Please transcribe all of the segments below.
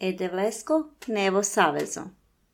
Edevlesko Nevo Savezo.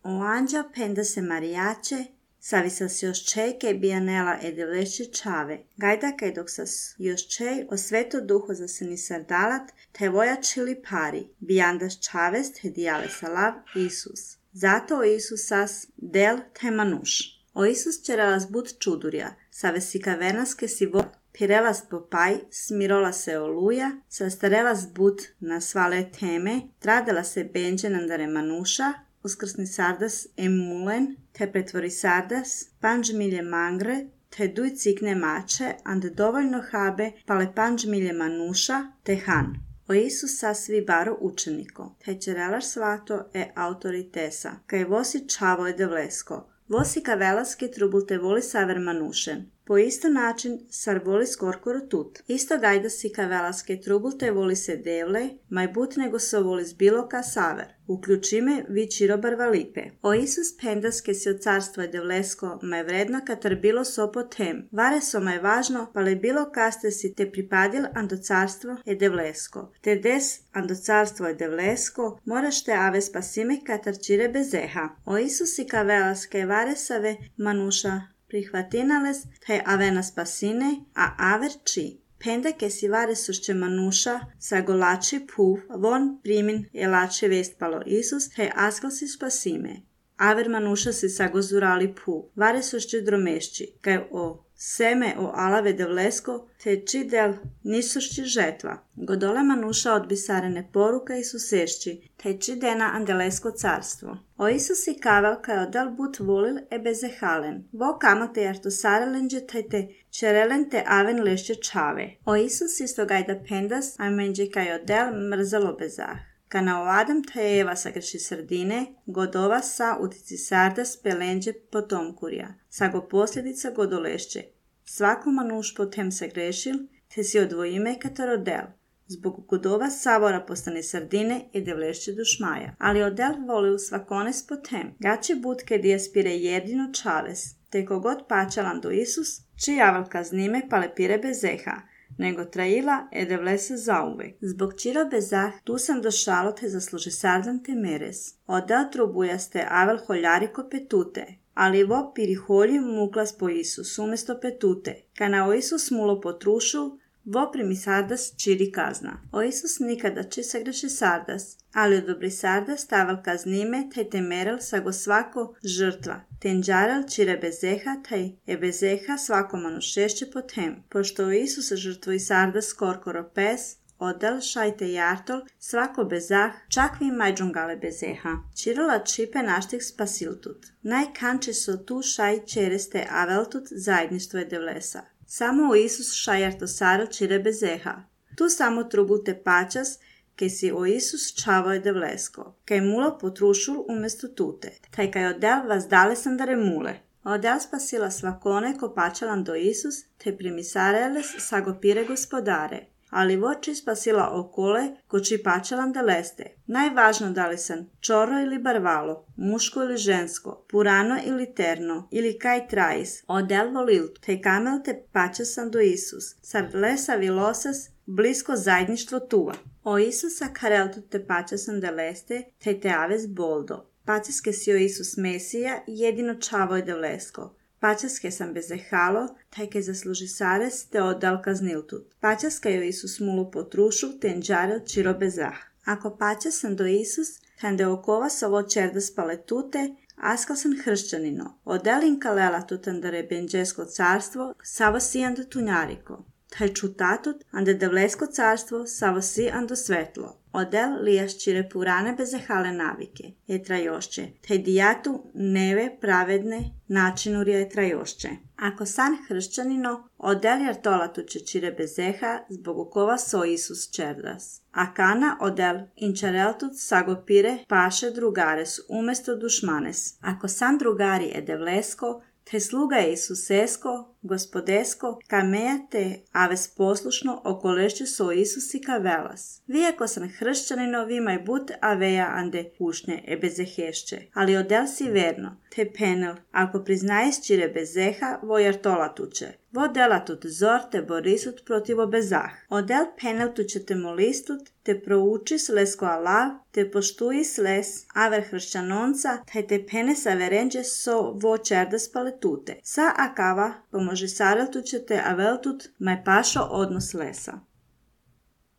O anđa penda se marijače, savisa se još čejke bijanela edevleši čave. Gajda kaj dok sas još čej o sveto duho za se ni sardalat, te vojačili pari, bijandaš čavest hedijale salav Isus. Zato o Isus sas del te manuš. O Isus čerelas bud čudurja, savesi kavernaske si vo pirelas popaj, smirola se oluja, sastarelas bud na svale teme, tradela se benđe nandare manuša, uskrsni sardas emulen, te pretvori sardas, panđ milje mangre, te duj cikne mače, ande dovoljno habe, pale panđ milje manuša, te han. O Isus sasvi baro učeniko, te čerelaš svato e autoritesa, kaj vosi čavo edevlesko, vosi kavelaske trubul te voli saver manušen. Po isto način sar voli skorkoro tut. Isto gajda si kavelaske trubul te voli se devle, maj but nego so voli zbiloka saver. Uključime vi čirobar valipe. O Isus pendaske si od carstvo edevlesko, maj vredno katar bilo sopo tem. Vare so maj važno, pa le bilo kaste si te pripadil ando carstvo edevlesko. Te des ando carstvo edevlesko, moraš te ave spasime katar čire bezeha. O Isus si kavelaske vare save manuša prihvatinales, te avena spasine, a aver či. Penda ke si vare sušće manuša, sa golači puv, von primin je lače vestpalo Isus, te askal si spasime. Aver manuša si sa gozurali puv, vare sušće dromešći, kaj o seme o alave devlesko, te či del nisušći žetva. Godole manuša odbisarene poruka i susešći, te či dena andelesko carstvo. O Isus i kavel kaj odal but volil e bezehalen. Vo kamate jarto sarelenđe te čerelen te aven lešće čave. O Isus isto gajda pendas, a menđe kaj odel mrzelo bezah. Kana o Adam te Eva sagreši srdine, godova sa utici sardas pelenđe potomkurja, sa go posljedica godolešće. Svako manuš potem se grešil, te si odvojime katar odel. Zbog godova savora postane sardine i devlešće dušmaja. Ali odel volil svakones potem. Gače budke dijaspire jedino čaves, te kogod pačalan do Isus, či javalka znime pale pire bezeha, nego trajila edevlese zauvek. Zbog čiro bezah tu sam došalo te zasluži sardan te meres. Odel trubujaste avel holjariko petute, ali vo piriholji muklas po Isus umjesto petute. Kana o Isus mulo potrušu, vo primi sardas čiri kazna. O Isus nikada či sagreši sardas, ali odobri sardas tavel kaznime taj temerel sa go svako žrtva. Tenđarel čire bezeha taj je bezeha svako manušešće potem. Pošto o Isus žrtvo i sardas skorkoro pes, odel šajte jartol svako bezah, čak vi majđungale bezeha. Čirila čipe naštih spasiltut. Najkanče so tu šaj čereste aveltut zajedništvo edevlesa. Samo u Isus šajarto sarel čire bezeha. Tu samo trubute pačas, ke si o Isus čavo edevlesko, kaj mulo potrušul umjesto tute, taj kaj odel vas dale sam dare mule. Odel spasila svakone ko pačalan do Isus, te primisareles sagopire gospodare, ali voči spasila okole ko či pačalan da leste. Najvažno da li sam čoro ili barvalo, muško ili žensko, purano ili terno, ili kaj trajis, odel volil, te kamel te pačasan do Isus, sar lesa vilosas, blisko zajedništvo tuva. O Isusa kareltu te pačasan da leste, te aves boldo. Pačaske si o Isus Mesija, jedino čavo je devlesko. Pačaske sam bezehalo, taj ke zasluži sares te odal kazniltut. Pačaska je o Isus mulu potrušu, tenđarel čiro bezah. Ako pačasan do Isus, tande okova sovo čerdas paletute, askal sam hršćanino. Odelin kalela tutandare benđesko carstvo, savo si ando tunjariko. Taj čutatut, ande devlesko carstvo, savo si ando svetlo. Odel lijaš čire purane bezehale navike, je trajošće, te dijatu neve pravedne načinurja je trajošće. Ako san hršćanino, odel jartolatu će čire bezeha, zbog ukova so Isus čerdas. A kana odel inčareltut sagopire paše drugares umjesto dušmanes. Ako san drugari edevlesko, te sluga je Isusesko, gospodesko, kamejate aves poslušno okolešće so Isusika velas. Vieko san hršćanino vimaj but aveja ande ušnje ebezehešće, ali odel si verno, te penel, ako priznaješ čire bezeha, vojar tola tuče. Vodela tut zor te borisut protiv obezah. Odel penel tuče te molistut, te proučis lesko alav, te poštujis les, aver hršćanonca, taj te pene saverenđe so vo čerdes paletute. Sa akava pomože sarel tuče te aveltut maj pašo odnos lesa.